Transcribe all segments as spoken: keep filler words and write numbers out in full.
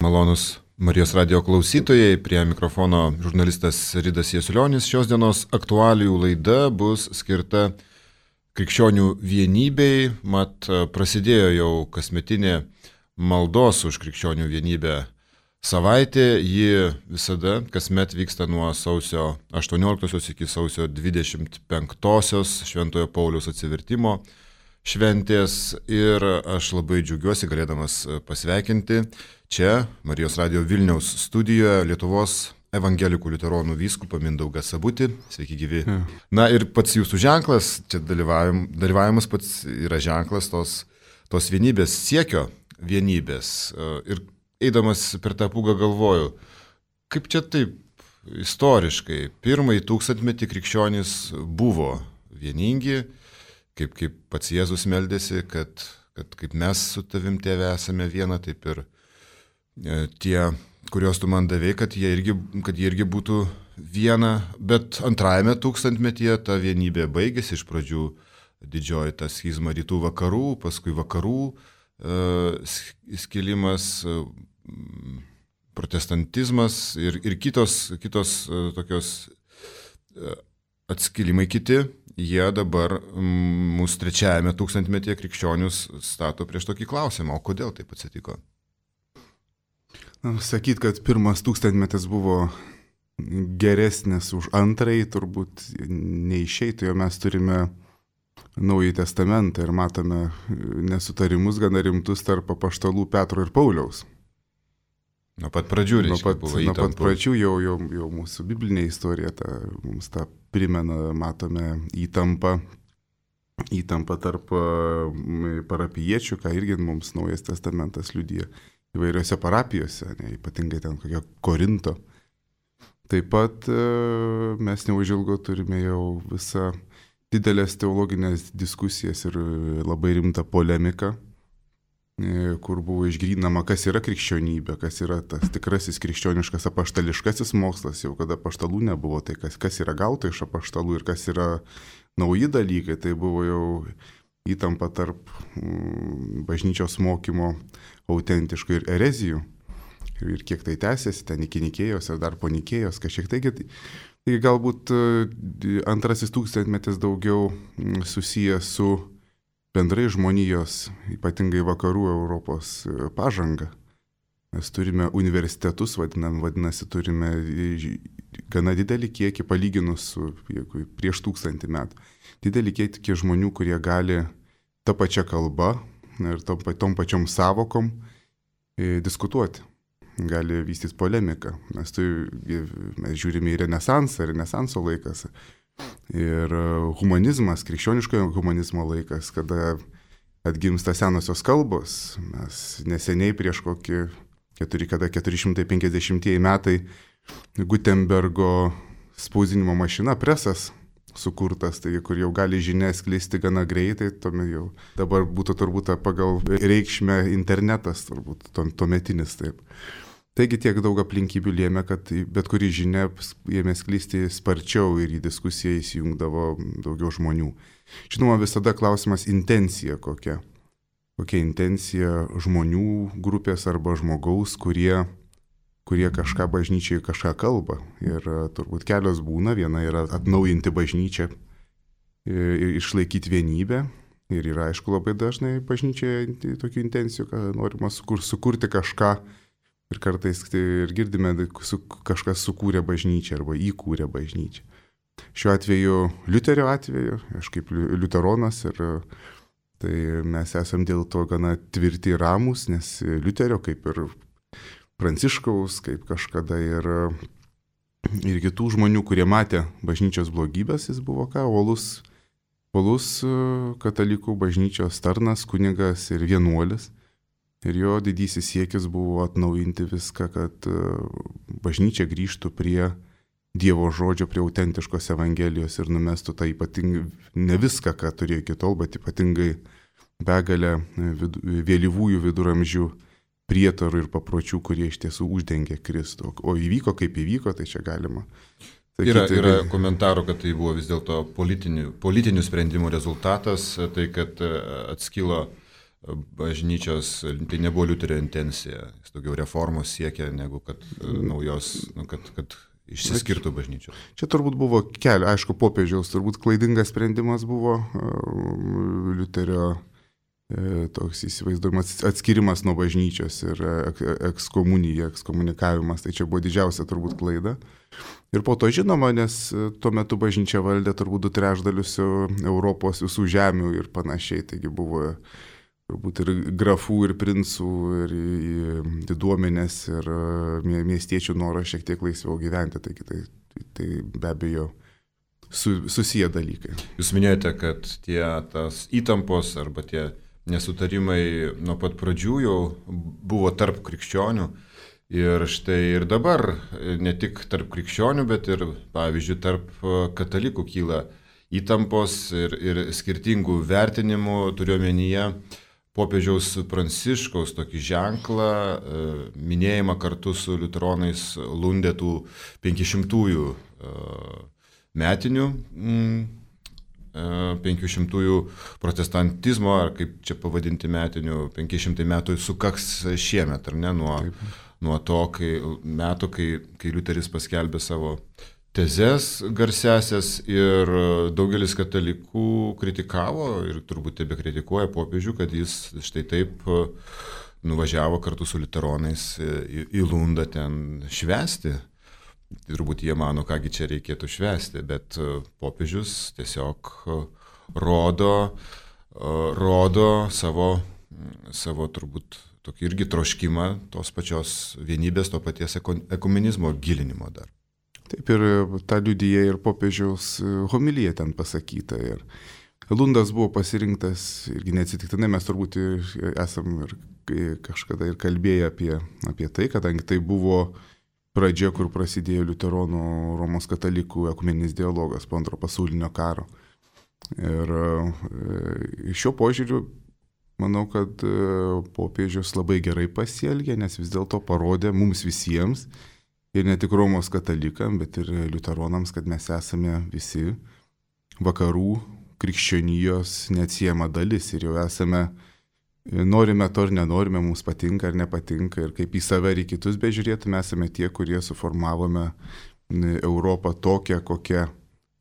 Malonus Marijos radio klausytojai, prie mikrofono žurnalistas Ridas Jasiulionis. Šios dienos aktualijų laida bus skirta krikščionių vienybei, mat prasidėjo jau kasmetinė maldos už krikščionių vienybę savaitė. Ji visada kasmet vyksta nuo sausio aštuonioliktosios iki sausio dvidešimt penktosios Šventojo Pauliaus atsivertimo šventės ir aš labai džiaugiuosi galėdamas pasveikinti čia Marijos radio Vilniaus studijoje Lietuvos evangelikų liuteronų vyskupą Mindaugą Sabutį. Sveiki gyvi. Ja. Na ir pats jūsų ženklas, čia dalyvavim, dalyvavimas pats yra ženklas tos, tos vienybės, siekio vienybės. Ir eidamas per tą pūgą galvoju, kaip čia taip istoriškai, pirmąjį tūkstantmetį krikščionys buvo vieningi, kaip, kaip pats Jėzus meldėsi, kad, kad kaip mes su tavim tėve esame viena, taip ir e, tie, kuriuos tu man davei, kad jie irgi, kad jie irgi būtų viena. Bet antrajame tūkstantmetyje ta vienybė baigėsi, iš pradžių didžioji ta schizma rytų vakarų, paskui vakarų e, skilimas, e, protestantizmas ir, ir kitos, kitos e, tokios e, atskilimai kiti. Jie dabar mūsų trečiajame tūkstantmetyje krikščionius stato prieš tokį klausimą, o kodėl taip atsitiko? Sakyt, kad pirmas tūkstantmetis buvo geresnis už antrąjį, turbūt neišeitų, jo mes turime Naująjį testamentą ir matome nesutarimus gana rimtus tarp apaštalų Petro ir Pauliaus. Nuo pat pradžių, reiškia, nuo pat, buvo įtampa. Nuo pat pradžių jau, jau, jau mūsų biblinė istorija ta, mums tą primena, matome įtampą, įtampą tarp parapijiečių, ką irgi mums Naujas testamentas liudija įvairiose parapijose, ne, ypatingai ten kokio Korinto. Taip pat mes neužilgo turime jau visą didelės teologinės diskusijas ir labai rimtą polemiką, kur buvo išgrynama, kas yra krikščionybė, kas yra tas tikrasis krikščioniškas apaštališkasis mokslas, jau kada apaštalų nebuvo, tai kas, kas yra gauta iš apaštalų ir kas yra nauji dalykai, tai buvo jau įtampa tarp mm, bažnyčios mokymo autentiškų ir erezijų. Ir, ir kiek tai tęsiasi, ten iki Nikėjos ir dar po Nikėjos, kažkiek taigi, tai galbūt antrasis tūkstantmetis daugiau susijęs su bendrai žmonijos, ypatingai vakarų Europos pažanga. Mes turime universitetus, vadinam, vadinasi, turime gana didelį kiekį palyginus su jeigu, prieš tūkstantį metų. Didelį kiekį žmonių, kurie gali tą pačią kalbą ir tom, tom pačiom savokom e, diskutuoti. Gali vystys polemiką. Mes, tai, mes žiūrime į renesansą, renesanso laikas. Ir humanizmas, krikščioniškojo humanizmo laikas, kada atgimsta senosios kalbos. Mes neseniai prieš kokį keturi, kada keturi šimtai penkiasdešimtieji metai Gutenbergo spausdinimo mašina, presas sukurtas, tai kur jau gali žinia sklisti gana greitai, tuomet jau dabar būtų turbūt pagal reikšmę internetas, turbūt tuometinis taip. Taigi tiek daug aplinkybių lėmė, kad bet kuri žinia ėmė sklisti sparčiau ir į diskusiją įsijungdavo daugiau žmonių. Žinoma, visada klausimas intencija kokia. Kokia intencija žmonių grupės arba žmogaus, kurie, kurie kažką bažnyčiai kažką kalba. Ir turbūt kelios būna. Viena yra atnaujinti bažnyčią ir išlaikyti vienybę. Ir yra, aišku, labai dažnai bažnyčioje tokių intencijų, kad norima sukur, sukurti kažką. Ir kartais ir girdime, su, kažkas sukūrė bažnyčią arba įkūrė bažnyčią. Šiuo atveju, Liuterio atveju, aš kaip liuteronas, ir tai mes esam dėl to gana tvirti ir ramus, nes Liuterio, kaip ir Pranciškaus, kaip kažkada ir, ir kitų žmonių, kurie matė bažnyčios blogybės, jis buvo ką, uolus, uolus katalikų bažnyčios tarnas, kunigas ir vienuolis. Ir jo didysis siekis buvo atnaujinti viską, kad bažnyčia grįžtų prie Dievo žodžio, prie autentiškos evangelijos ir numestų tą ypatingai, ne viską, ką turėjo iki tol, bet ypatingai begalę vidu, vėlyvųjų viduramžių prietarų ir papročių, kurie iš tiesų uždengė Kristų. O įvyko kaip įvyko, tai čia galima. Sakyti, yra, yra komentarų, kad tai buvo vis dėlto politinių, politinių sprendimų rezultatas, tai kad atskilo bažnyčios, tai nebuvo Liuterio intencija, jis daugiau reformos siekia, negu kad naujos, nu, kad, kad išsiskirtų bažnyčios. Čia turbūt buvo keli, aišku, popiežiaus, turbūt klaidingas sprendimas buvo Liuterio toks įsivaizduojamas atskirimas nuo bažnyčios ir ekskomunija, ekskomunikavimas, tai čia buvo didžiausia turbūt klaida. Ir po to žinoma, nes tuo metu bažnyčia valdė turbūt du trečdalius Europos visų žemių ir panašiai, taigi buvo turbūt ir grafų, ir princų, ir diduomenės, ir miestiečių noras šiek tiek laisviau gyventi, taigi tai, tai be abejo su, susiję dalykai. Jūs minėjote, kad tie tas įtampos arba tie nesutarimai nuo pat pradžių jau buvo tarp krikščionių ir štai ir dabar ne tik tarp krikščionių, bet ir, pavyzdžiui, tarp katalikų kyla įtampos ir, ir skirtingų vertinimų, turiuomenyje popiežiaus Pranciškaus tokį ženklą, minėjimą kartu su liuteronais Lundetų penkišimtųjų metinių penkišimtųjų protestantizmo, ar kaip čia pavadinti metinių, penki šimtai metų sukaks šiemet, ar ne, nuo, nuo to kai, metų, kai, kai Liuteris paskelbė savo tezes garsiasias ir daugelis katalikų kritikavo ir turbūt tebe kritikuoja popiežių, kad jis štai taip nuvažiavo kartu su liuteronais į, į Lundą ten švęsti. Turbūt jie mano, kągi čia reikėtų švęsti, bet popiežius tiesiog rodo, rodo savo, savo turbūt tokį irgi troškimą tos pačios vienybės, to paties ekumenizmo gilinimo dar. Taip ir tą liudyja ir popiežiaus homilija ten pasakyta. Ir Lundas buvo pasirinktas irgi neatsitiktinai, mes turbūt esam ir kažkada ir kalbėję apie, apie tai, kadangi tai buvo pradžia, kur prasidėjo liuteronų Romos katalikų ekumeninis dialogas po antro pasaulinio karo. Ir iš šio požiūrių manau, kad popiežius labai gerai pasielgė, nes vis dėlto parodė mums visiems, ir ne tik Romos katalikam, bet ir liuteronams, kad mes esame visi vakarų krikščionijos neatsiejama dalis ir jau esame, norime to ar nenorime, mums patinka ar nepatinka, ir kaip į save ir į kitus bežiūrėtume, esame tie, kurie suformavome Europą tokią, kokia,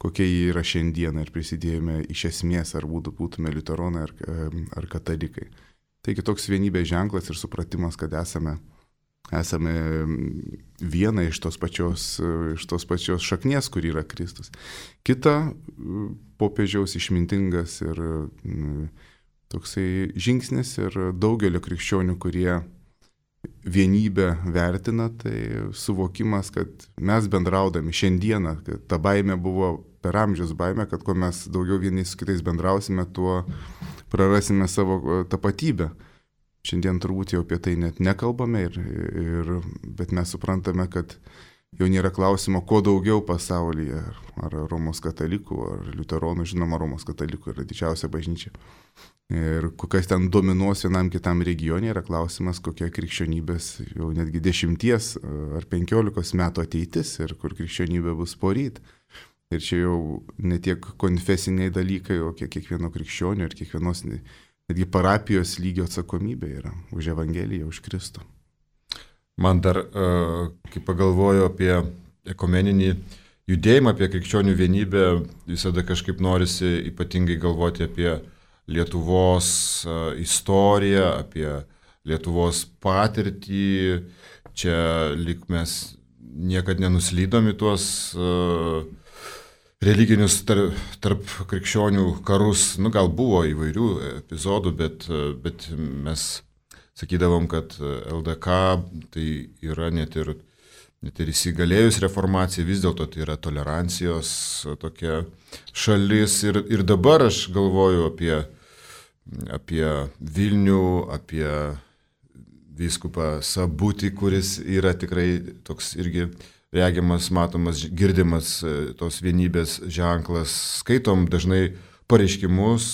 kokia jį yra šiandieną, ir prisidėjome iš esmės, ar būtume liuteronai ar, ar katalikai. Taigi toks vienybės ženklas ir supratimas, kad esame, esame viena iš tos pačios, iš tos pačios šaknies, kur yra Kristus. Kita popiežiaus išmintingas ir toksai žingsnis ir daugelio krikščionių, kurie vienybę vertina, tai suvokimas, kad mes bendraudami šiandieną, kad ta baimė buvo per amžius baimė, kad kuo mes daugiau vieni su kitais bendrausime, tuo prarasime savo tapatybę. Šiandien turbūt jau apie tai net nekalbame, ir, ir, bet mes suprantame, kad jau nėra klausimo, ko daugiau pasaulyje, ar Romos katalikų, ar liuteronų, žinoma, Romos katalikų yra didžiausia bažnyčia. Ir kokias ten dominuos vienam kitam regione, yra klausimas, kokia krikščionybės jau netgi dešimties ar penkiolikos metų ateitis ir kur krikščionybė bus poryt. Ir čia jau ne tiek konfesiniai dalykai, o kiek kiekvieno krikščionio ir kiekvienos netgi parapijos lygio atsakomybė yra už Evangeliją, už Kristų. Man dar, kai pagalvoju apie ekumeninį judėjimą, apie krikščionių vienybę, visada kažkaip norisi ypatingai galvoti apie Lietuvos istoriją, apie Lietuvos patirtį. Čia lyg mes niekad nenuslydom į tuos religinius tarp, tarp krikščionių karus. Nu, gal buvo įvairių epizodų, bet, bet mes sakydavom, kad L D K tai yra net ir, net ir įsigalėjus reformacija, vis dėlto tai yra tolerancijos tokia šalis. Ir, ir dabar aš galvoju apie, apie Vilnių, apie vyskupą Sabutį, kuris yra tikrai toks irgi regimas, matomas, girdimas tos vienybės ženklas. Skaitom dažnai pareiškimus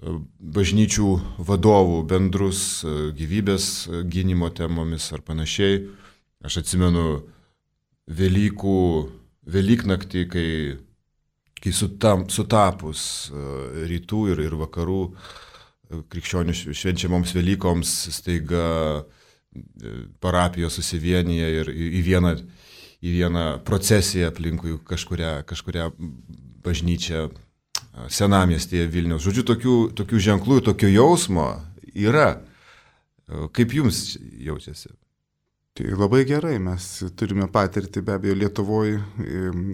bažnyčių vadovų, bendrus gyvybės gynimo temomis ar panašiai. Aš atsimenu Velykų, Velyknaktį, kai, kai sutam, sutapus rytų ir, ir vakarų krikščionių švenčiamoms Velykoms staiga parapijos susivienyje ir į vieną, į vieną procesiją aplinkui kažkurią, kažkurią bažnyčią senamiestyje Vilniaus. Žodžiu, tokių, tokių ženklų, tokio jausmo yra. Kaip jums jaučiasi? Tai labai gerai, mes turime patirtį, be abejo, Lietuvoje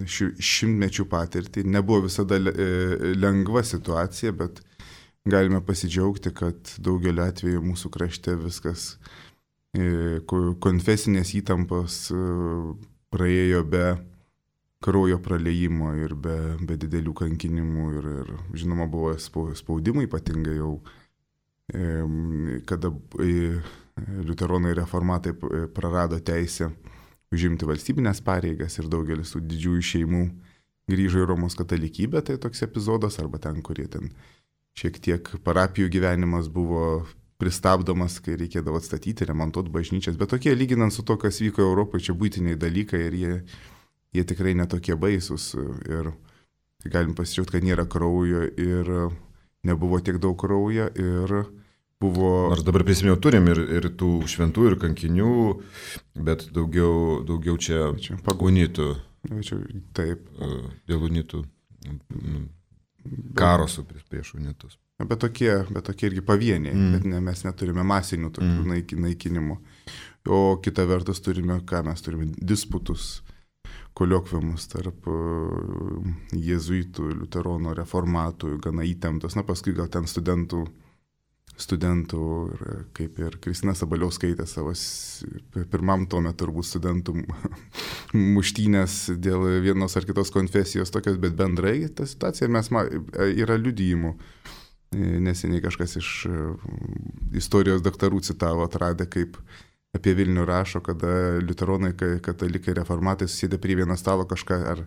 šimtmečių patirtį. Nebuvo visada lengva situacija, bet galime pasidžiaugti, kad daugeliu atveju mūsų krašte viskas, konfesinės įtampos praėjo be kraujo praliejimo ir be, be didelių kankinimų ir, ir žinoma buvo spaudimai, ypatingai jau, kada liuteronai reformatai prarado teisę užimti valstybinės pareigas ir daugelis tų didžiųjų šeimų grįžo į Romos katalikybę, tai toks epizodas, arba ten, kurie ten šiek tiek parapijų gyvenimas buvo pristabdomas, kai reikėdavo atstatyti, remontuoti bažnyčias, bet tokie lyginant su to, kas vyko Europoje, čia būtiniai dalykai ir jie, jie tikrai netokie baisus ir galim pasidžiaugti, kad nėra kraujo ir nebuvo tiek daug kraujo ir buvo... Nors dabar prisimėjau, turim ir, ir tų šventų, ir kankinių, bet daugiau, daugiau čia, čia unitų. Čia, taip. Dėl unitų karo su prieš unitus. Bet tokie, bet tokie irgi pavieniai, mm. bet ne, mes neturime masinių tokių mm. naikinimų. O kita vertus turime, ką mes turime, disputus, koliokviumus tarp jėzuitų, liuteronų, reformatų, gana įtemptos. Na, paskui gal ten studentų, studentų ir, kaip ir Kristina Sabaliauskaitė savo pirmam tome turbūt studentų muštynės dėl vienos ar kitos konfesijos tokios, bet bendrai ta situacija mes ma, yra liudijimų. Neseniai kažkas iš istorijos daktarų citavo, atradę, kaip apie Vilnių rašo, kada liuteronai, katalikai, reformatai susėdė prie vieno stalo kažką, ar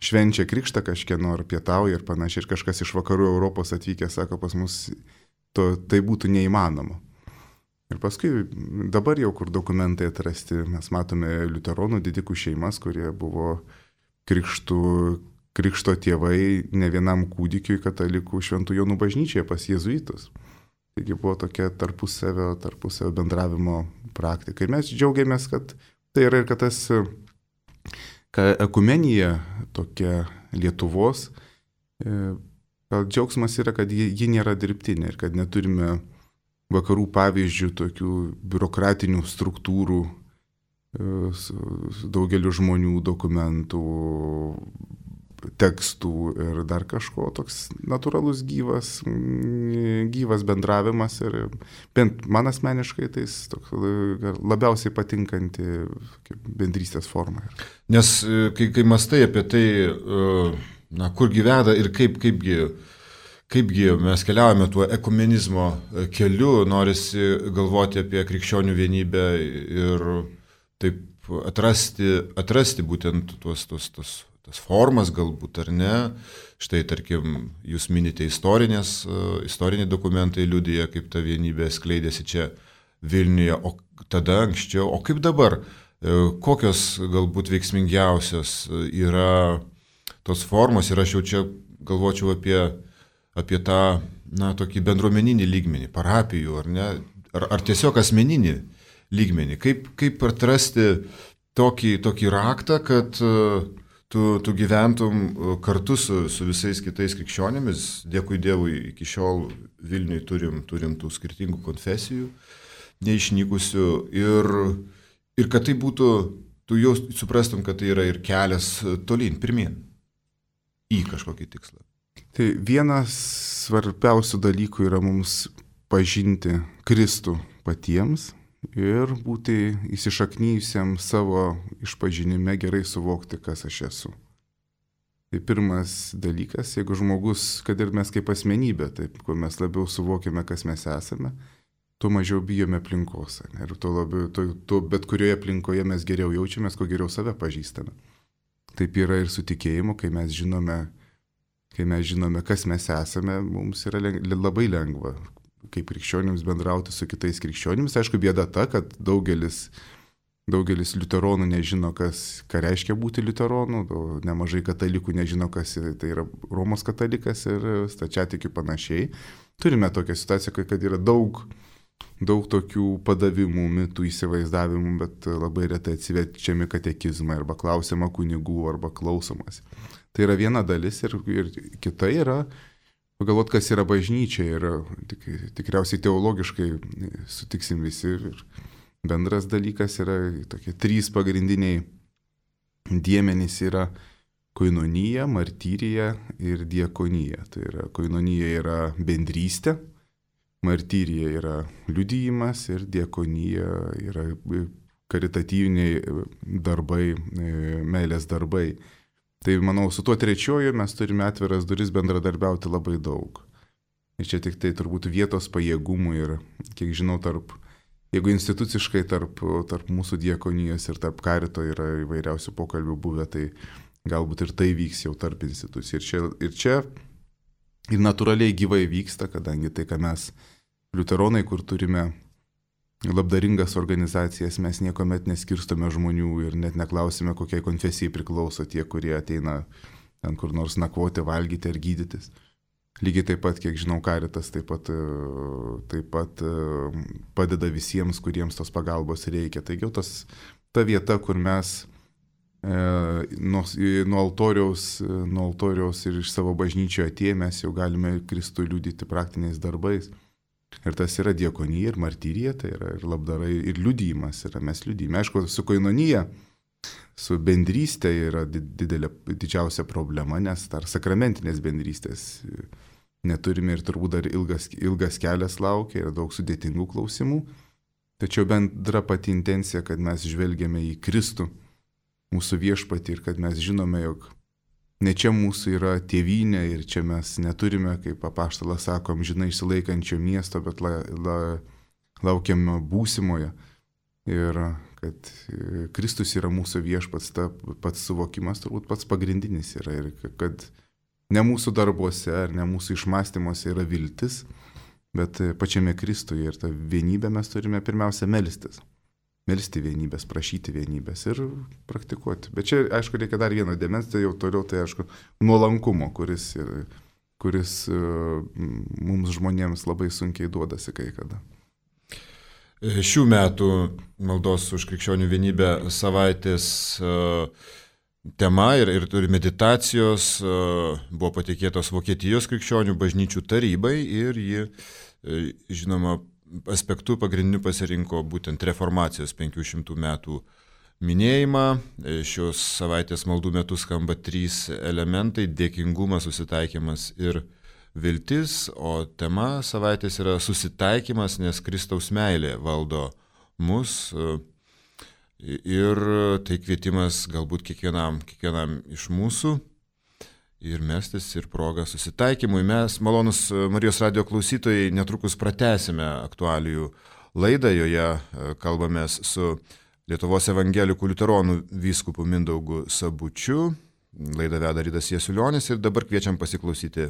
švenčia krikštą kažkieno, ar pietauja ir panašiai, ir kažkas iš vakarų Europos atvykę, sako, pas mus to, tai būtų neįmanoma. Ir paskui dabar jau, kur dokumentai atrasti, mes matome liuteronų didikų šeimas, kurie buvo krikštų krikšto tėvai ne vienam kūdikiui katalikų Šventų Jonų bažnyčioje pas jėzuitus. Taigi buvo tokia tarpusavio, tarpusavio bendravimo praktika. Ir mes džiaugiamės, kad tai yra ir kad tas kad ekumenija tokia Lietuvos, džiaugsmas yra, kad ji, ji nėra dirbtinė ir kad neturime vakarų pavyzdžių tokių biurokratinių struktūrų, daugeliu žmonių dokumentų, tekstų ir dar kažko, toks natūralus gyvas, gyvas bendravimas ir bent man asmeniškai tai toks labiausiai patinkanti bendrystės forma. Nes kai, kai mastai apie tai, na, kur gyvena ir kaip, kaipgi, kaipgi mes keliaujame tuo ekumenizmo keliu, norisi galvoti apie krikščionių vienybę ir taip atrasti, atrasti būtent tuos, tuos, tuos tas formas galbūt, ar ne. Štai, tarkim, jūs minite istorinės, istoriniai dokumentai liudija, kaip ta vienybė skleidėsi čia Vilniuje, o tada anksčiau, o kaip dabar, kokios galbūt veiksmingiausios yra tos formos ir aš jau čia galvočiau apie, apie tą, na, tokį bendruomeninį lygmenį, parapijų, ar ne, ar, ar tiesiog asmeninį lygmenį, kaip, kaip atrasti tokį, tokį raktą, kad Tu, tu gyventum kartu su, su visais kitais krikščionėmis, dėkui Dievui, iki šiol Vilniui turim, turim tų skirtingų konfesijų, neišnykusių, ir, ir kad tai būtų, tu jau suprastum, kad tai yra ir kelias tolyn, pirmyn, į kažkokį tikslą. Tai vienas svarbiausių dalykų yra mums pažinti Kristų patiems, ir būti įsišaknyjusiam savo išpažinime, gerai suvokti, kas aš esu. Tai pirmas dalykas, jeigu žmogus, kad ir mes kaip asmenybė, taip, kuo mes labiau suvokiame, kas mes esame, tuo mažiau bijome aplinkos. Ne? Ir tuo labiau, tuo, tuo bet kurioje aplinkoje mes geriau jaučiamės, kuo geriau save pažįstame. Taip yra ir su tikėjimu, kai mes žinome, kai mes žinome, kas mes esame, mums yra leng, labai lengva kaip krikščionims bendrauti su kitais krikščionims. Aišku, bėda ta, kad daugelis, daugelis liuteronų nežino, kas, ką reiškia būti liuteronu, nemažai katalikų nežino, kas tai yra Romos katalikas ir stačiatikių panašiai. turime tokią situaciją, kad yra daug, daug tokių padavimų, mitų, įsivaizdavimų, bet labai retai atsiverčiami katekizmai arba klausiama kunigų arba klausomas. Tai yra viena dalis ir, ir kita yra pagalvoti, kas yra bažnyčia ir tik, tikriausiai teologiškai sutiksim visi. Ir bendras dalykas yra tokie trys pagrindiniai dėmenys yra koinonija, martyrija ir diakonija. Tai yra koinonija yra bendrystė, martyrija yra liudijimas ir diakonija yra karitatyviniai darbai, meilės darbai. Tai manau, su tuo trečioju mes turime atviras duris bendradarbiauti labai daug. Ir čia tik tai turbūt vietos pajėgumų ir, kiek žinau, tarp, jeigu instituciškai tarp, tarp mūsų diakonijos ir tarp karito yra įvairiausių pokalbių buvę, tai galbūt ir tai vyks jau tarp institucijų. Ir čia, ir čia ir natūraliai gyvai vyksta, kadangi tai, ką mes liuteronai, kur turime labdaringas organizacijas, mes niekuomet neskirstome žmonių ir net neklausime, kokiai konfesijai priklauso tie, kurie ateina ten kur nors nakvoti, valgyti ar gydytis. Lygiai taip pat, kiek žinau, karitas taip pat, taip pat padeda visiems, kuriems tos pagalbos reikia. Taigi jau tas, ta vieta, kur mes Nuo, nuo, altoriaus, nuo altoriaus ir iš savo bažnyčio atėję mes jau galime Kristų liudyti praktiniais darbais. Ir tas yra diakonija ir martyrija, tai yra ir labdarai, ir liudijimas yra, mes liudijime. Aišku, su koinonija, su bendrystė yra didelė, didžiausia problema, nes dar sakramentinės bendrystės neturime ir turbūt dar ilgas, ilgas kelias laukia, yra daug sudėtingų klausimų. Tačiau bendra pati intencija, kad mes žvelgiame į Kristų, mūsų viešpatį ir kad mes žinome, jog ne čia mūsų yra tėvynė ir čia mes neturime, kaip apaštalas sako, amžinai išsilaikančio miesto, bet la, la, laukiam būsimoje. Ir kad Kristus yra mūsų viešpats, ta pats suvokimas turbūt pats pagrindinis yra. Ir kad ne mūsų darbuose ar ne mūsų išmąstymuose yra viltis, bet pačiame Kristuje. Ir tą vienybę mes turime pirmiausia melstis. Melsti vienybės, prašyti vienybės ir praktikuoti. Bet čia, aišku, reikia dar vieno dėmens, tai jau toliau, tai aišku, nuolankumo, kuris, kuris uh, mums žmonėms labai sunkiai duodasi kai kada. Šių metų maldos už krikščionių vienybę savaitės uh, tema ir, ir turi meditacijos uh, buvo patikėtos Vokietijos krikščionių bažnyčių tarybai ir ji, uh, žinoma, aspektų pagrindiniu pasirinko būtent reformacijos penkių šimtų metų minėjimą. Šios savaitės maldų metu skamba trys elementai – dėkingumas, susitaikymas ir viltis, o tema savaitės yra susitaikymas, nes Kristaus meilė valdo mus ir tai kvietimas galbūt kiekvienam, kiekvienam iš mūsų. Ir mestis ir progą susitaikymui. Mes, malonus Marijos radijo klausytojai, netrukus pratęsime aktualijų laidą. Joje kalbamės su Lietuvos evangelikų liuteronų vyskupu Mindaugu Sabučiu. Laidą veda Ridas Jasiulionis ir dabar kviečiam pasiklausyti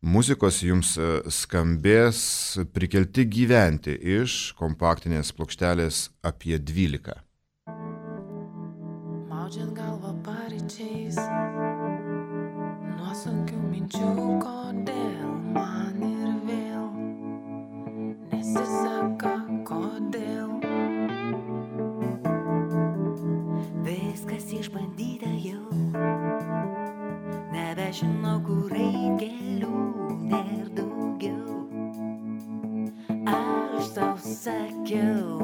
muzikos. Jums skambės Prikelti gyventi iš kompaktinės plokštelės apie dvylika. Maudžiant galvą paryčiais, sunkių minčių, kodėl man ir vėl nesiseka, kodėl viskas išbandyta jau, nebežinau, kur eit kelių, nėr daugiau, aš tau sakiau.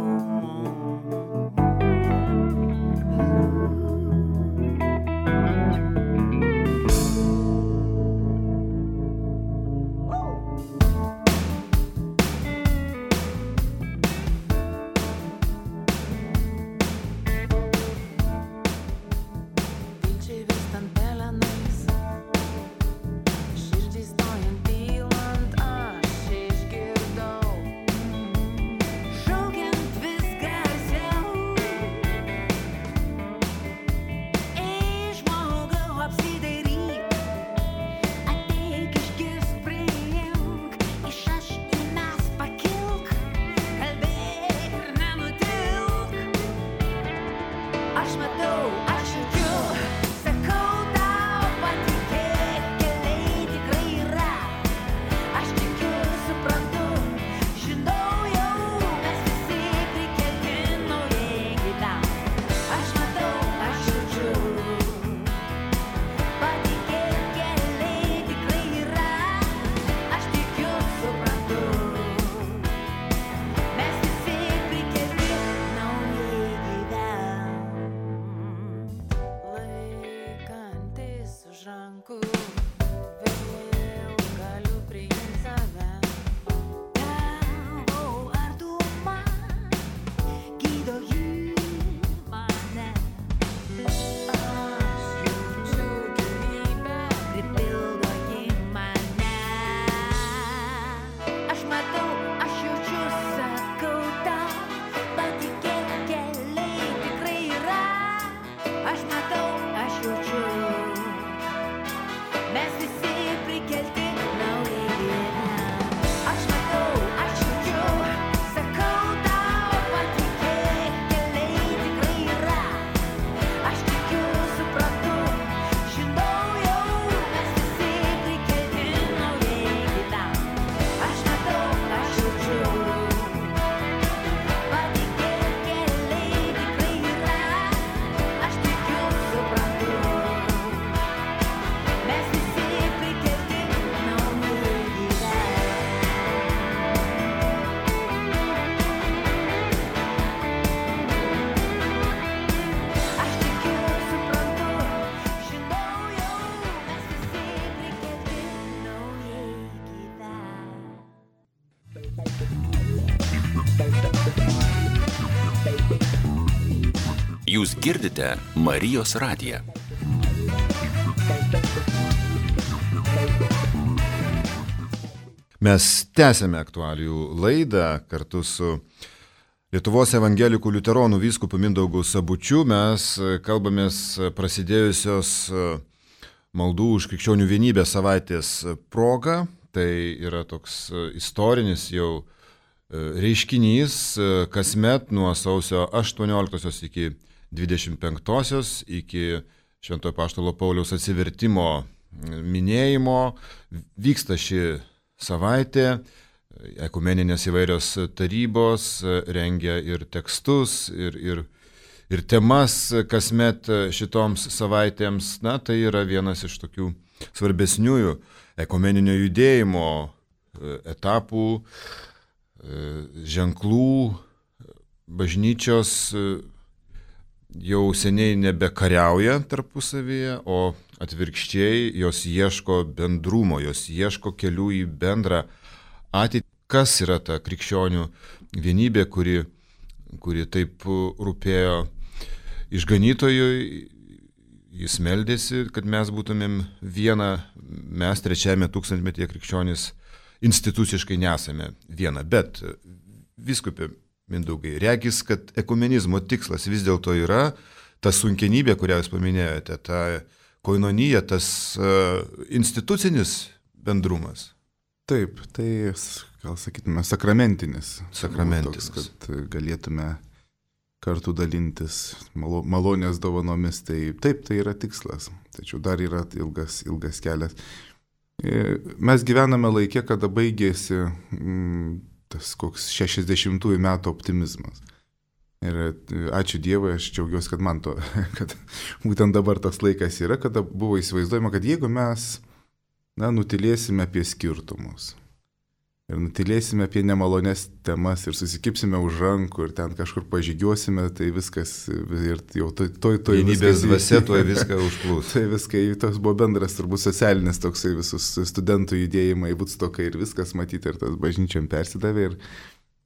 Sakau tau, patikėk, keliai tikrai yra. Aš tikiu su Jūs girdite Marijos radiją. Mes tęsėme aktualijų laidą kartu su Lietuvos evangelikų liuteronų vyskupu Mindaugu Sabučiu. Mes kalbamės prasidėjusios maldų už krikščionių vienybę savaitės proga. Tai yra toks istorinis jau reiškinys kasmet nuo sausio aštuonioliktosios iki dvidešimt penktosios, iki Šventojo Apaštalo Pauliaus atsivertimo minėjimo. Vyksta ši savaitė, ekumeninės įvairios tarybos rengia ir tekstus, ir, ir, ir temas kasmet šitoms savaitėms. Na, tai yra vienas iš tokių svarbesniųjų ekumeninio judėjimo etapų, ženklų. Bažnyčios jau seniai nebekariauja tarpusavyje, o atvirkščiai jos ieško bendrumo, jos ieško kelių į bendrą ateitį. Kas yra ta krikščionių vienybė, kuri, kuri taip rūpėjo išganytojui? Jis meldėsi, kad mes būtumėm viena, mes trečiajame tūkstantmetyje krikščionys instituciškai nesame viena. Bet vyskupė Mindaugai, regis, kad ekumenizmo tikslas vis dėlto yra ta sunkenybė, kurią jūs paminėjote, ta koinonija, tas uh, institucinis bendrumas. Taip, tai, gal sakytume, sakramentinis. Sakramentinis. Toks, kad galėtume kartu dalintis malo, malonės dovanomis. Tai, taip, tai yra tikslas. Tačiau dar yra ilgas, ilgas kelias. Mes gyvename laikė, kada baigėsi mm, tas koks šešiasdešimtųjų metų optimizmas. Ir ačiū Dievui, aš džiaugiuosi, kad man to, kad būtent dabar tas laikas yra, kada buvo įsivaizduojama, kad jeigu mes na, nutilėsime apie skirtumus ir nutilėsime apie nemalonės temas ir susikipsime už rankų ir ten kažkur pažygiuosime, tai viskas ir jau toj toj toj vienybės dvasia tuoj viską užplūs. Tai viskai, tas buvo bendras turbūt socialinis toksai visus studentų judėjimai, Vudstokai ir viskas matyti ir tas bažnyčiam persidavė ir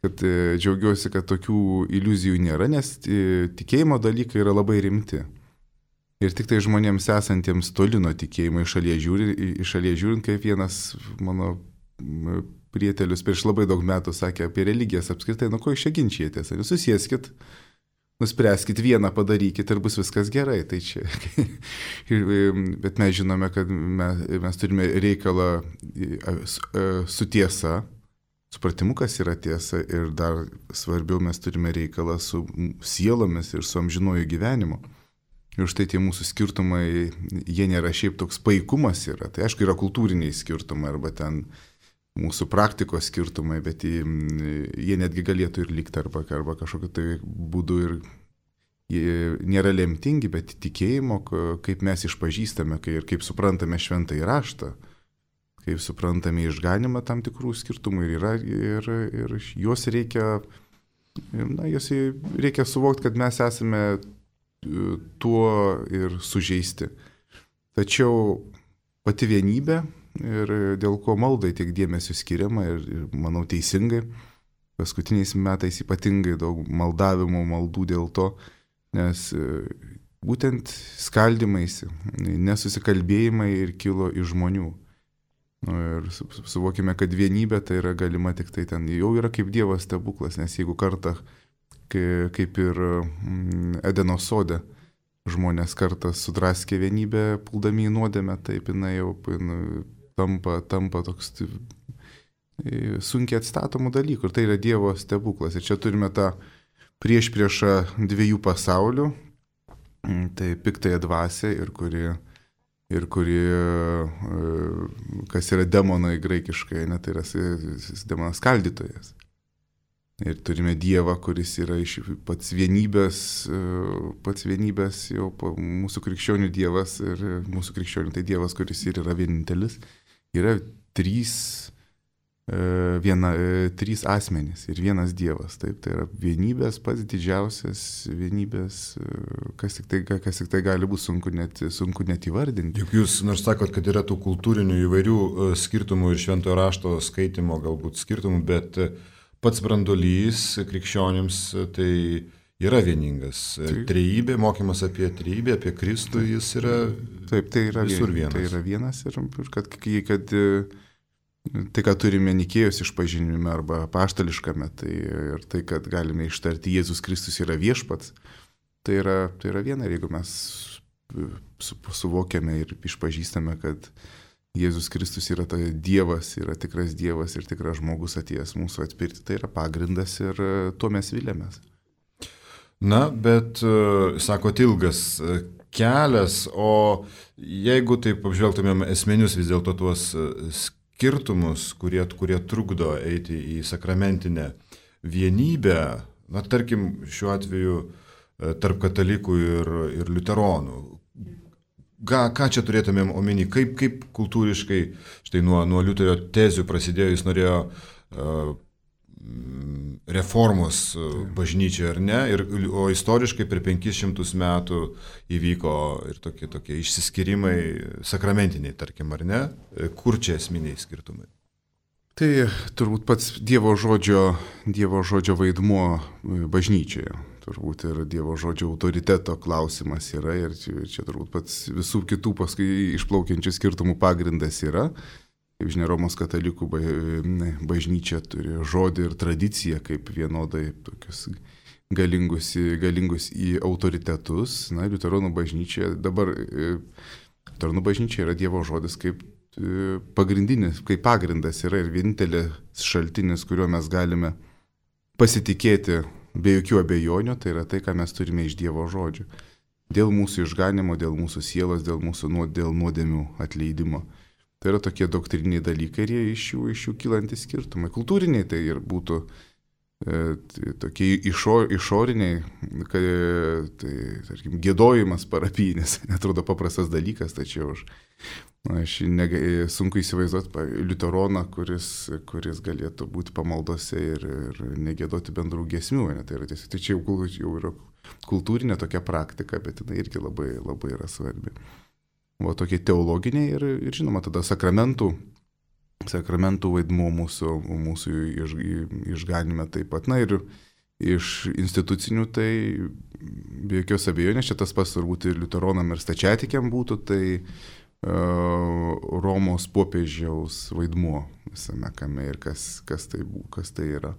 kad džiaugiuosi, kad tokių iliuzijų nėra, nes tikėjimo dalykai yra labai rimti. Ir tik tai žmonėms esantiems toli nuo tikėjimo iš šalies žiūrint, iš šalies žiūrint, kaip vienas mano prietelius prieš labai daug metų sakė apie religijas apskritai, nu ko iš čia ginčijatės, jūs susieskit, nuspręskit vieną, padarykit ir bus viskas gerai. Tai čia. Bet mes žinome, kad mes, mes turime reikalą su tiesa, supratimu, kas yra tiesa, ir dar svarbiau mes turime reikalą su sielomis ir su amžinuoju gyvenimu. Ir štai tie mūsų skirtumai, jie nėra šiaip toks paikumas yra. Tai aišku, yra kultūriniai skirtumai arba ten mūsų praktikos skirtumai, bet jie netgi galėtų ir likti arba, arba kažkokiu tai būdu ir jie nėra lemtingi, bet tikėjimo, kaip mes išpažįstame ir kaip suprantame šventąjį raštą, kaip suprantame išganimą tam tikrų skirtumų ir yra, ir, ir juos reikia, na, juos reikia suvokti, kad mes esame tuo ir sužeisti. Tačiau pati vienybė ir dėl ko maldai tiek dėmesio skiriama ir, ir manau teisingai, paskutiniais metais ypatingai daug maldavimo maldų dėl to, nes būtent skaldymaisi, nesusikalbėjimai ir kilo iš žmonių. Nu, ir suvokime, kad vienybė tai yra galima tik tai ten, jau yra kaip Dievo stebuklas, nes jeigu kartą, kaip ir Edeno sode, žmonės kartą sudraskė vienybę, puldami į nuodėmę, taip jinai jau tampa, tampa toks sunkiai atstatomų dalykų. Ir tai yra Dievo stebuklas. Ir čia turime tą priešpriešą dviejų pasaulių, tai piktąją dvasią ir kuri, ir kuri, kas yra demonai graikiškai, ne, tai yra demonas skaldytojas. Ir turime Dievą, kuris yra iš pats vienybės, pats vienybės jau mūsų krikščionių Dievas ir mūsų krikščionių tai Dievas, kuris ir yra vienintelis. Yra trys, viena, trys asmenys ir vienas Dievas. Taip, tai yra vienybės, pats didžiausias vienybės, kas tik tai, kas tik tai gali būti sunku net, sunku net įvardinti. Juk jūs nors sakot, kad yra tų kultūrinių įvairių skirtumų ir šventojo rašto skaitimo galbūt skirtumų, bet pats branduolys krikščionims tai yra vieningas. Taip. Trejybė, mokymas apie trejybę, apie Kristų, jis yra, taip, tai yra visur vien, vienas. Tai yra vienas ir kad, kad tai, ką turime Nikėjos išpažinime arba apaštališkame, tai ir tai, kad galime ištarti Jėzus Kristus yra viešpats, tai yra, tai yra viena. Ir jeigu mes su, suvokiame ir išpažįstame, kad Jėzus Kristus yra tai Dievas, yra tikras Dievas ir tikras žmogus atėjęs mūsų atpirkti, tai yra pagrindas ir tuo mes vilėmės. Na, bet, sakot, ilgas kelias, o jeigu taip apžvelgtumėm esminius vis dėlto tuos skirtumus, kurie, kurie trukdo eiti į sakramentinę vienybę, na, tarkim, šiuo atveju tarp katalikų ir, ir liuteronų, ką, ką čia turėtumėm omeny, kaip, kaip kultūriškai, štai nuo, nuo Liuterio tezių prasidėjo, jis norėjo uh, reformos bažnyčioje, ar ne, ir, o istoriškai per penkis šimtus metų įvyko ir tokie, tokie išsiskyrimai sakramentiniai, tarkim, ar ne, kur čia esminiai skirtumai? Tai turbūt pats Dievo žodžio, Dievo žodžio vaidmuo bažnyčioje, turbūt ir Dievo žodžio autoriteto klausimas yra, ir čia, čia turbūt pats visų kitų paskui išplaukiančių skirtumų pagrindas yra. Kaip žinia, Romos katalikų bažnyčia turi žodį ir tradiciją kaip vienodai tokius galingus, galingus į autoritetus. Na, liuteronų bažnyčia, dabar liuteronų bažnyčia yra Dievo žodis kaip pagrindinis, kaip pagrindas yra ir vienintelis šaltinis, kuriuo mes galime pasitikėti be jokių abejonių, tai yra tai, ką mes turime iš Dievo žodžio. Dėl mūsų išganimo, dėl mūsų sielos, dėl mūsų dėl nuodėmių atleidimo. Tai yra tokie doktriniai dalykai ir jie iš jų, iš jų kylantis skirtumai. Kultūriniai tai ir būtų e, tai, tokie išo, išoriniai, kad, tai, tarkim, giedojimas parapijinis, netrodo paprastas dalykas, tačiau aš, na, aš nega, sunku įsivaizduoti liuteroną, kuris, kuris galėtų būti pamaldose ir, ir negėdoti bendrų giesmių. Ne? Tai yra tiesiog, tai čia jau, jau yra kultūrinė tokia praktika, bet jinai irgi labai, labai yra svarbi. O tokie teologiniai ir, ir žinoma, tada sakramentų, sakramentų vaidmuo mūsų, mūsų iš, išganime taip pat. Na ir iš institucinių tai be jokios abejonės, čia tas pats turbūt ir liuteronam ir stačiatikiam būtų, tai uh, Romos popiežiaus vaidmuo visame kame ir kas, kas, tai, kas tai yra.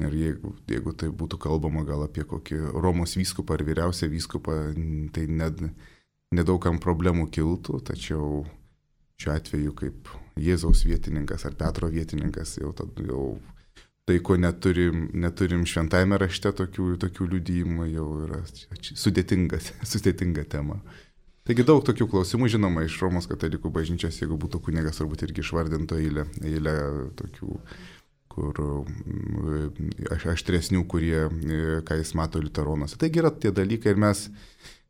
Ir jeigu, jeigu tai būtų kalbama gal apie kokį Romos vyskupą ar vyriausią vyskupą, tai net nedaugam problemų kiltų, tačiau šiuo atveju kaip Jėzaus vietininkas ar Petro vietininkas, jau, jau tai, ko neturim, neturim šventajame rašte tokių, tokių liudijimų, jau yra sudėtingas, sudėtinga tema. Taigi daug tokių klausimų, žinoma, iš Romos katalikų bažnyčios, jeigu būtų kunigas, turbūt irgi išvardinto eilę, eilę tokių, kur aštresnių, kurie, ką jis mato liuteronuose. Taigi yra tie dalykai ir mes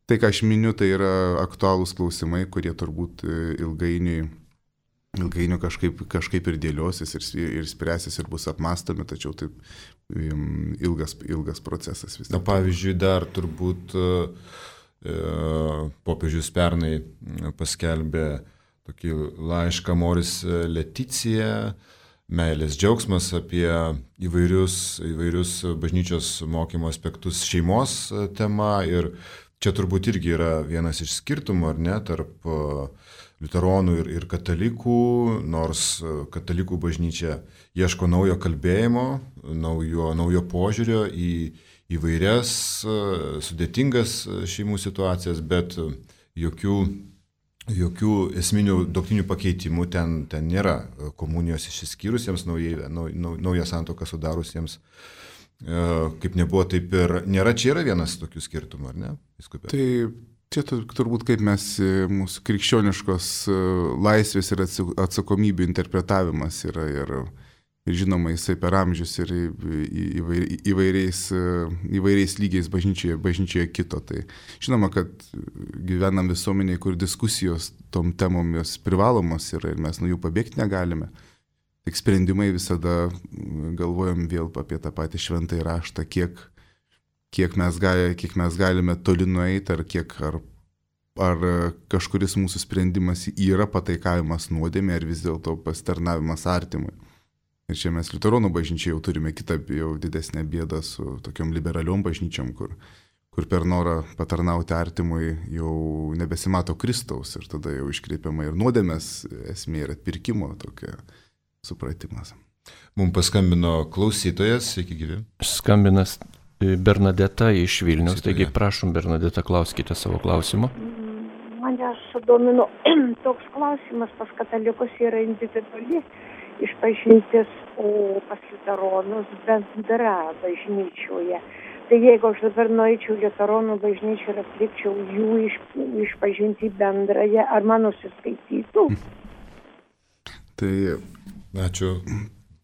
tai, ką aš miniu, tai yra aktualūs klausimai, kurie turbūt ilgainiui, ilgainiui kažkaip, kažkaip ir dėliosis, ir, ir spręsis, ir bus apmastomi, tačiau taip ilgas, ilgas procesas vis. Na, pavyzdžiui, dar turbūt e, popiežius pernai paskelbė tokį laišką Moris Leticija, meilės džiaugsmas apie įvairius, įvairius bažnyčios mokymo aspektus šeimos tema ir čia turbūt irgi yra vienas iš skirtumų, ar ne, tarp liuteronų ir, ir katalikų, nors katalikų bažnyčia ieško naujo kalbėjimo, naujo, naujo požiūrio į įvairias sudėtingas šeimų situacijas, bet jokių, jokių esminių doktrinių pakeitimų ten, ten nėra. Komunijos išsiskyrusiems, naujai, nau, naują santuoką sudarusiems, kaip nebuvo, taip ir nėra. Čia yra vienas tokių skirtumų, ar ne? Viskupė? Tai čia turbūt kaip mes mūsų krikščioniškos laisvės ir atsakomybių interpretavimas yra ir, ir žinoma jisai per amžius ir įvairiais, įvairiais lygiais bažnyčioje, bažnyčioje kito. Tai žinoma, kad gyvenam visuomenėje, kur diskusijos tom temom jos privalomos yra ir mes nuo jų pabėgti negalime. Tik sprendimai visada galvojam vėl apie tą patį šventąjį raštą, kiek, kiek, mes gali, kiek mes galime toli nueiti, ar, kiek, ar, ar kažkuris mūsų sprendimas yra pataikavimas nuodėmė, ar vis dėlto pasitarnavimas artimui. Ir čia mes liuteronų bažnyčiai jau turime kitą jau didesnę bėdą su tokiom liberaliom bažnyčiom, kur, kur per norą patarnauti artimui jau nebesimato Kristaus ir tada jau iškreipiama ir nuodėmės esmė ir atpirkimo tokia supratimas. Mums paskambino klausytojas, sveiki gyvi. Skambinas Bernadeta iš Vilniaus, taigi prašom Bernadeta, klauskite savo klausimą. Mane sudomino toks klausimas, pas katalikus yra individuali išpažintis, o pas liuteronus bendra bažnyčioje. Tai jeigu aš dabar nueičiau liuteronų bažnyčią ir atlikčiau jų iš, išpažinti bendrąją, ar man nusiskaitytų? Tai ačiū,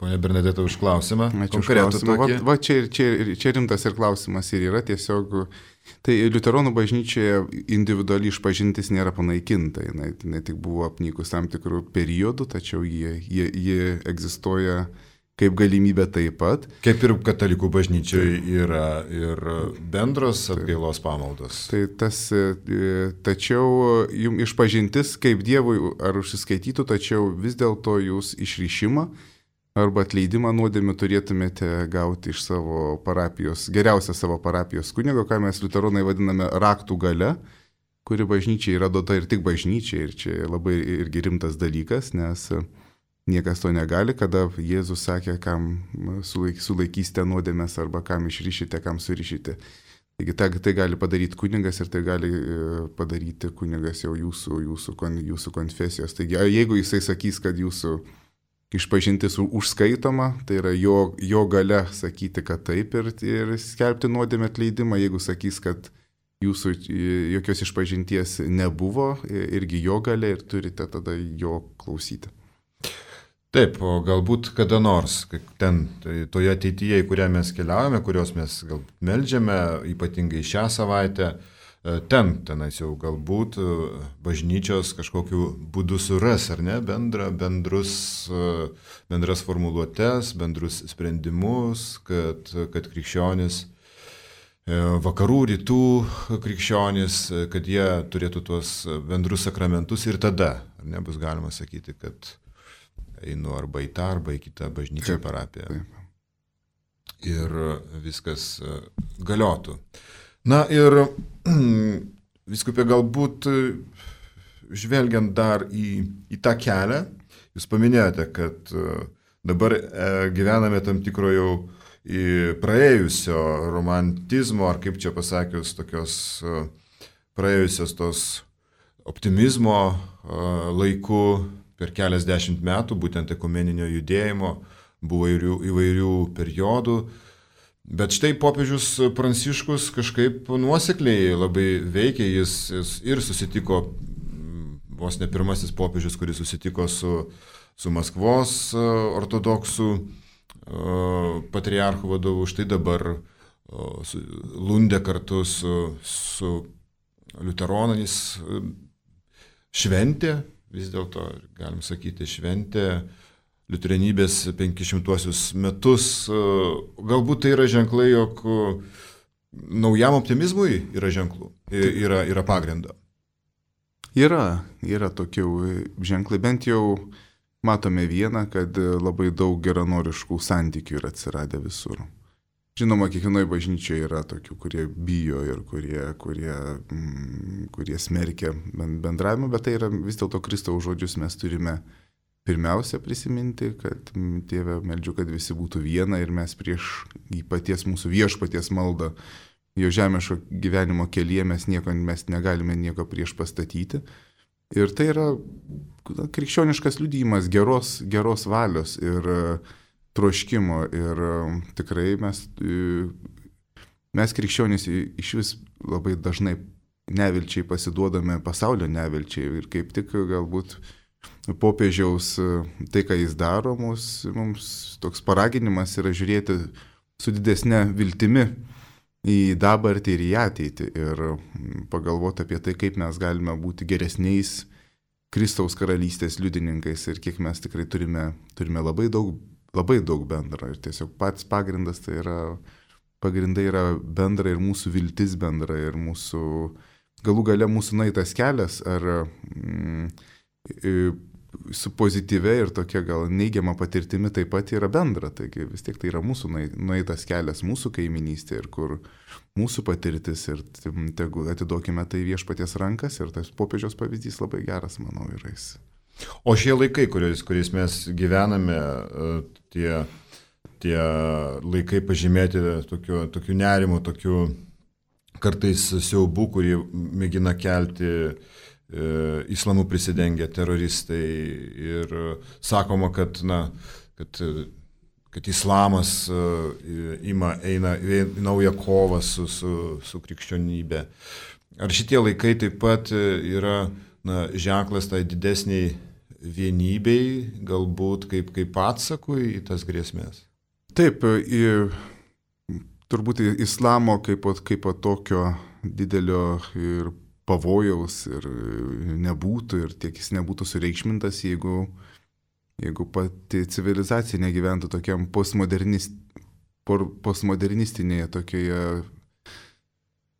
ponia Bernadeta, už klausimą. Ačiū už klausimą. Va, va čia, čia, čia rimtas ir klausimas ir yra tiesiog. Tai liuteronų bažnyčioje individuali išpažintis nėra panaikinta, jinai, jinai tik buvo apnykus tam tikrų periodų, tačiau jie, jie, jie egzistuoja kaip galimybė taip pat. Kaip ir katalikų bažnyčioje yra ir bendros atgailos pamaldos. Tai tas, tačiau jums išpažintis kaip Dievui ar užsiskaitytų, tačiau vis dėlto jūs išryšimą arba atleidimą nuodėmių turėtumėte gauti iš savo parapijos, geriausia savo parapijos kunigo, ką mes liuteronai vadiname raktų gale, kuri bažnyčiai yra duota ir tik bažnyčiai. Ir čia labai irgi rimtas dalykas, nes niekas to negali, kada Jėzus sakė, kam sulaik, sulaikysite nuodėmės arba kam išryšite, kam surišite. Taigi tai, tai gali padaryti kunigas ir tai gali padaryti kunigas jau jūsų, jūsų, jūsų konfesijos. Taigi jeigu jisai sakys, kad jūsų išpažintis užskaitoma, tai yra jo, jo gale sakyti, kad taip ir, ir skelbti nuodėmę atleidimą. Jeigu sakys, kad jūsų jokios išpažinties nebuvo, irgi jo gale ir turite tada jo klausyti. Taip, o galbūt kada nors, ten, tai toje ateityje, į kurią mes keliaujame, kurios mes galbūt meldžiame, ypatingai šią savaitę, ten, tenais jau galbūt bažnyčios kažkokiu būdu suras, ar ne, bendra, bendrus, bendras formuluotės, bendrus sprendimus, kad, kad krikščionis, vakarų, rytų krikščionis, kad jie turėtų tuos bendrus sakramentus ir tada, ar ne, bus galima sakyti, kad einu arba į tą, arba į kitą bažnyčią parapiją. Ir viskas galiotų. Na ir vyskupė, galbūt žvelgiant dar į, į tą kelią, jūs paminėjote, kad dabar gyvename tam tikro jau praėjusio romantizmo, ar kaip čia pasakius, tokios praėjusios tos optimizmo laiku per keliasdešimt metų, būtent ekumeninio judėjimo, buvo įvairių, įvairių periodų. Bet štai popiežius Pranciškus kažkaip nuosekliai labai veikia, jis, jis ir susitiko, vos ne pirmasis popiežius, kuris susitiko su, su Maskvos ortodoksų patriarchų vadovu, štai dabar Lunde kartu su, su liuteronais šventė, vis dėlto, galim sakyti, šventė liuteronybės penkišimtuosius metus. Galbūt tai yra ženklai, jog naujam optimizmui yra ženklų, yra, yra pagrindo. Yra, yra tokių ženklai, bent jau matome vieną, kad labai daug geranoriškų santykių yra atsiradę visur. Žinoma, kiekvienoje bažnyčioje yra tokių, kurie bijo ir kurie, kurie, mm, kurie smerkia bendravimą, bet tai yra vis dėlto Kristaus žodžius mes turime pirmiausia prisiminti, kad Tėve, meldžiu, kad visi būtų viena ir mes prieš į paties mūsų viešpaties maldą, jo žemiško gyvenimo kelyje mes nieko, mes negalime nieko prieš pastatyti. Ir tai yra krikščioniškas liudijimas geros, geros valios ir troškimo. Ir tikrai mes, mes krikščionys iš vis labai dažnai nevilčiai pasiduodame pasaulio nevilčiai ir kaip tik galbūt popiežiaus tai, ką jis daro, mums, mums toks paraginimas yra žiūrėti su didesne viltimi į dabartį ir į ateitį ir pagalvoti apie tai, kaip mes galime būti geresniais Kristaus karalystės liudininkais ir kiek mes tikrai turime, turime labai daug, labai daug bendra. Ir tiesiog pats pagrindas tai yra, pagrindai yra bendra ir mūsų viltis bendra ir mūsų, galų gale mūsų nueitas kelias ar mm, su pozityvia ir tokia gal neigiama patirtimi taip pat yra bendra. Taigi vis tiek tai yra mūsų nueitas kelias, mūsų kaiminystė ir kur mūsų patirtis ir tegu atiduokime tai viešpaties rankas ir tas popiežiaus pavyzdys labai geras, manau, yra jis. O šie laikai, kuriais, kuriais mes gyvename, tie, tie laikai pažymėti tokiu, tokiu nerimu, tokiu kartais siaubu, kurį mėgina kelti islamu prisidengę teroristai ir sakoma, kad, na, kad, kad islamas ima, eina į naują kovą su, su, su krikščionybė. Ar šitie laikai taip pat yra, na, ženklas tai didesniai vienybei, galbūt kaip, kaip atsakui į tas grėsmės? Taip, į, turbūt islamo kaip, kaip tokio didelio ir pavojaus ir nebūtų, ir tiek jis nebūtų sureikšmintas, jeigu, jeigu pati civilizacija negyventų tokiam postmodernist, postmodernistinėje tokioje,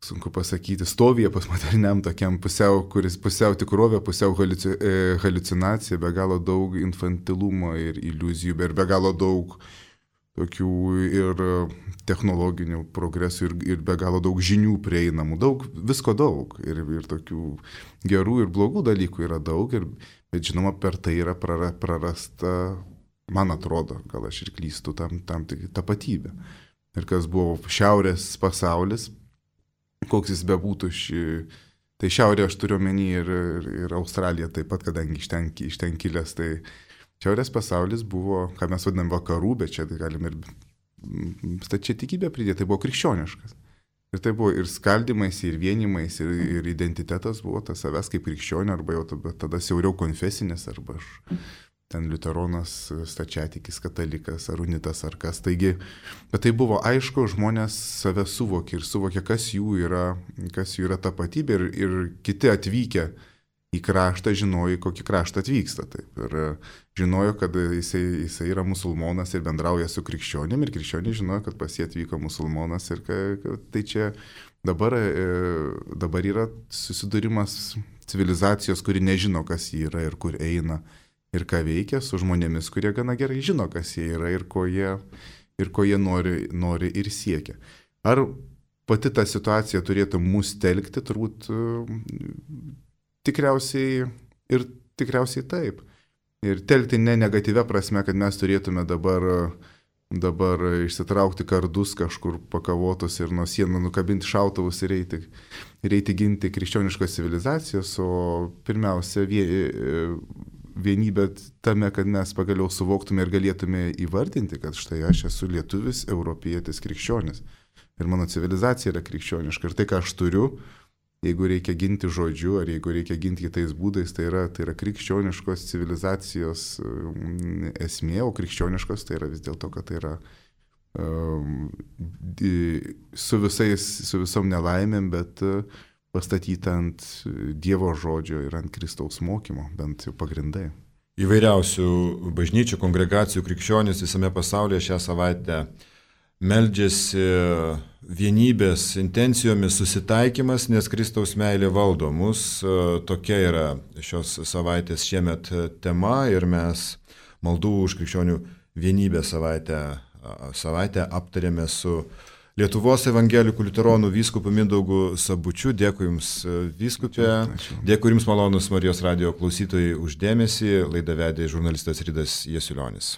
sunku pasakyti, stovyje postmoderniam tokiam pusiau, kuris pusiau tikrovė, pusiau haliucinacija, be galo daug infantilumo ir iliuzijų, ir be galo daug tokių ir technologinių progresų ir, ir be galo daug žinių prieinamų, daug, visko daug ir, ir tokių gerų ir blogų dalykų yra daug, ir, bet žinoma per tai yra prara, prarasta, man atrodo, gal aš ir klystu, tam, tam tapatybė. Ir kas buvo šiaurės pasaulis, koks jis bebūtų, ši, tai šiaurė aš turiu omeny ir, ir, ir Australija taip pat, kadangi iš ten, iš ten kilęs, tai šiaurės pasaulis buvo, ką mes vadinam vakarų, bet čia galim ir stačiai tikybę pridėti, tai buvo krikščioniškas. Ir tai buvo ir skaldymais, ir vienimais, ir, ir identitetas buvo tas savęs kaip krikščionio, arba jau tada, tada siauriau konfesinis, arba aš ten liuteronas, stačiatikis, katalikas, ar unitas, ar kas. Taigi, bet tai buvo aišku, žmonės save suvokė ir suvokė, kas jų yra, kas jų yra tapatybė, ir, ir kiti atvykę į kraštą žinojo, kokį kraštą atvyksta. Taip. Ir žinojo, kad jisai, jisai yra musulmonas ir bendrauja su krikščionim, ir krikščioniai žinojo, kad pas jį atvyko musulmonas. Ir kad, tai čia dabar, dabar yra susidūrimas civilizacijos, kuri nežino, kas jį yra ir kur eina ir ką veikia, su žmonėmis, kurie gana gerai žino, kas jie yra ir ko jie, ir ko jie nori, nori ir siekia. Ar pati ta situacija turėtų mus telkti? Turbūt tikriausiai ir tikriausiai taip. Ir telkti ne negatyvia prasme, kad mes turėtume dabar, dabar išsitraukti kardus kažkur pakavotus ir nuo sienų nukabinti šautuvus ir eiti, ir eiti ginti krikščioniškos civilizacijos, o pirmiausia vienybė tame, kad mes pagaliau suvoktume ir galėtume įvardinti, kad štai aš esu lietuvis, europietis, krikščionis. Ir mano civilizacija yra krikščioniška. Ir tai, ką aš turiu, jeigu reikia ginti žodžiu, ar jeigu reikia ginti kitais būdais, tai yra, tai yra krikščioniškos civilizacijos esmė, o krikščioniškos tai yra vis dėlto, kad tai yra um, su, visais, su visom nelaimėm, bet pastatyta ant Dievo žodžio ir ant Kristaus mokymo, bent jau pagrindai. Įvairiausių bažnyčių, kongregacijų krikščionys visame pasaulyje šią savaitę meldžiasi vienybės intencijomis susitaikymas, nes Kristaus meilė valdo mus. Tokia yra šios savaitės šiemet tema ir mes maldų už krikščionių vienybę savaitę, savaitę aptarėme su Lietuvos evangelikų liuteronų vyskupu Mindaugu Sabučiu. Dėkui Jums, vyskupė. Dėkui Jums, malonus Marijos radijo klausytojai, už dėmesį. Laidą vedė žurnalistas Ridas Jasiulionis.